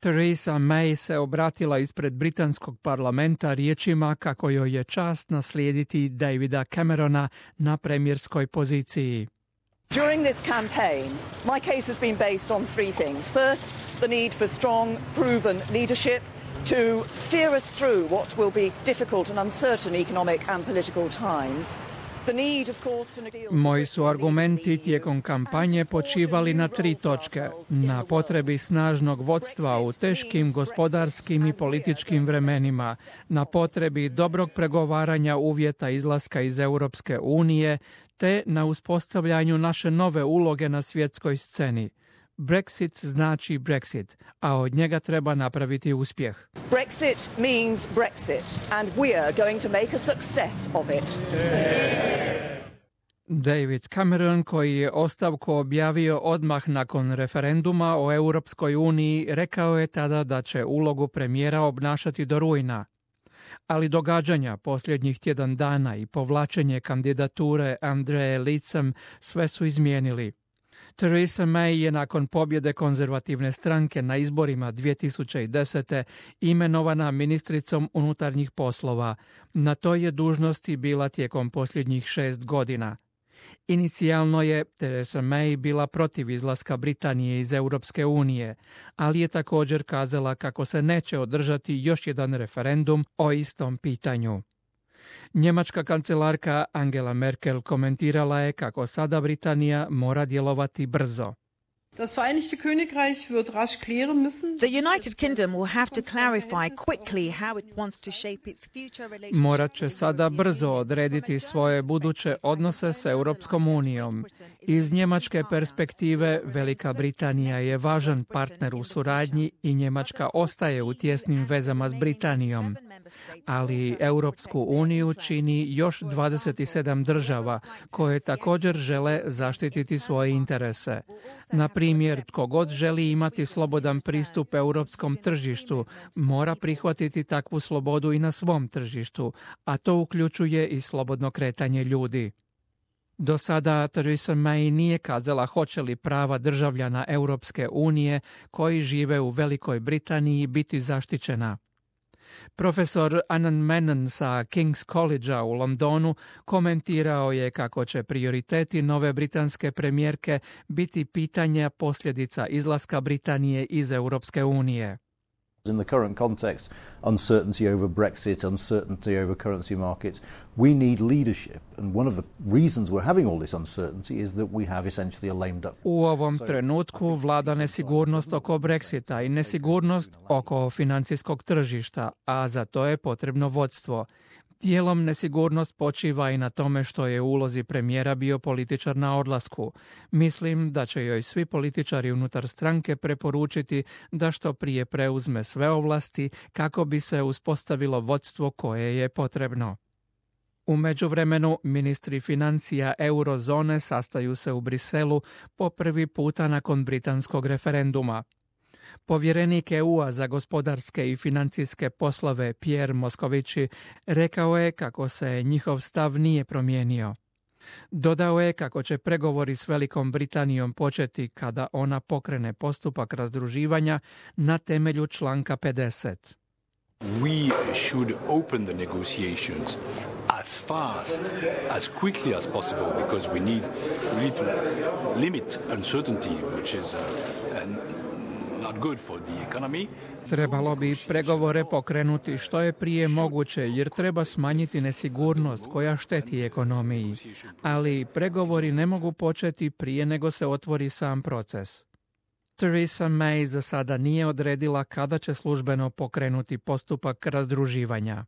Theresa May se obratila ispred britanskog parlamenta riječima kako joj je čast naslijediti Davida Camerona na premijerskoj poziciji. During this campaign, my case has been based on three things. First, the need for strong, proven leadership to steer us through what will be difficult and uncertain economic and political times. Moji su argumenti tijekom kampanje počivali na tri točke. Na potrebi snažnog vodstva u teškim gospodarskim i političkim vremenima, na potrebi dobrog pregovaranja uvjeta izlaska iz Europske unije, te na uspostavljanju naše nove uloge na svjetskoj sceni. Brexit znači Brexit, a od njega treba napraviti uspjeh. Brexit means Brexit, and we are going to make a success of it. David Cameron, koji je ostavku objavio odmah nakon referenduma o Europskoj uniji, rekao je tada da će ulogu premijera obnašati do rujna. Ali događanja posljednjih tjedan dana i povlačenje kandidature Andreje Leadsom sve su izmijenili. Theresa May je nakon pobjede konzervativne stranke na izborima 2010. imenovana ministricom unutarnjih poslova. Na toj je dužnosti bila tijekom posljednjih 6 godina. Inicijalno je Theresa May bila protiv izlaska Britanije iz Europske unije, ali je također kazala kako se neće održati još jedan referendum o istom pitanju. Njemačka kancelarka Angela Merkel komentirala je kako sada Britanija mora djelovati brzo. Das Vereinigte Königreich wird rasch klären müssen. The United Kingdom will have to clarify quickly how it wants to shape its future relationship. Morat će sada brzo odrediti svoje buduće odnose s Europskom unijom. Iz njemačke perspektive Velika Britanija je važan partner u suradnji i Njemačka ostaje u tjesnim vezama s Britanijom. Ali Europsku uniju čini još 27 država koje također žele zaštititi svoje interese. Na primjer, tko god želi imati slobodan pristup europskom tržištu, mora prihvatiti takvu slobodu i na svom tržištu, a to uključuje i slobodno kretanje ljudi. Do sada Theresa May nije kazala hoće li prava državljana Europske unije koji žive u Velikoj Britaniji biti zaštićena. Profesor Anand Menon sa King's College-a u Londonu komentirao je kako će prioriteti nove britanske premijerke biti pitanja posljedica izlaska Britanije iz Europske unije. In the current context, uncertainty over Brexit, uncertainty over currency markets, we need leadership. And one of the reasons we're having all this uncertainty is that we have essentially a lamed up. U ovom trenutku vlada nesigurnost oko Brexita i nesigurnost oko financijskog tržišta, a za to je potrebno vodstvo. Dijelom nesigurnost počiva i na tome što je u ulozi premijera bio političar na odlasku. Mislim da će joj svi političari unutar stranke preporučiti da što prije preuzme sve ovlasti kako bi se uspostavilo vodstvo koje je potrebno. U međuvremenu, ministri financija eurozone sastaju se u Briselu po prvi puta nakon britanskog referenduma. Povjerenik EU-a za gospodarske i financijske poslove Pierre Moscovici rekao je kako se njihov stav nije promijenio. Dodao je kako će pregovori s Velikom Britanijom početi kada ona pokrene postupak razdruživanja na temelju članka 50. We should open the negotiations as fast, as quickly as possible, because we need to limit uncertainty, which is not good for the economy. Trebalo bi pregovore pokrenuti što je prije moguće jer treba smanjiti nesigurnost koja šteti ekonomiji. Ali pregovori ne mogu početi prije nego se otvori sam proces. Theresa May za sada nije odredila kada će službeno pokrenuti postupak razdruživanja.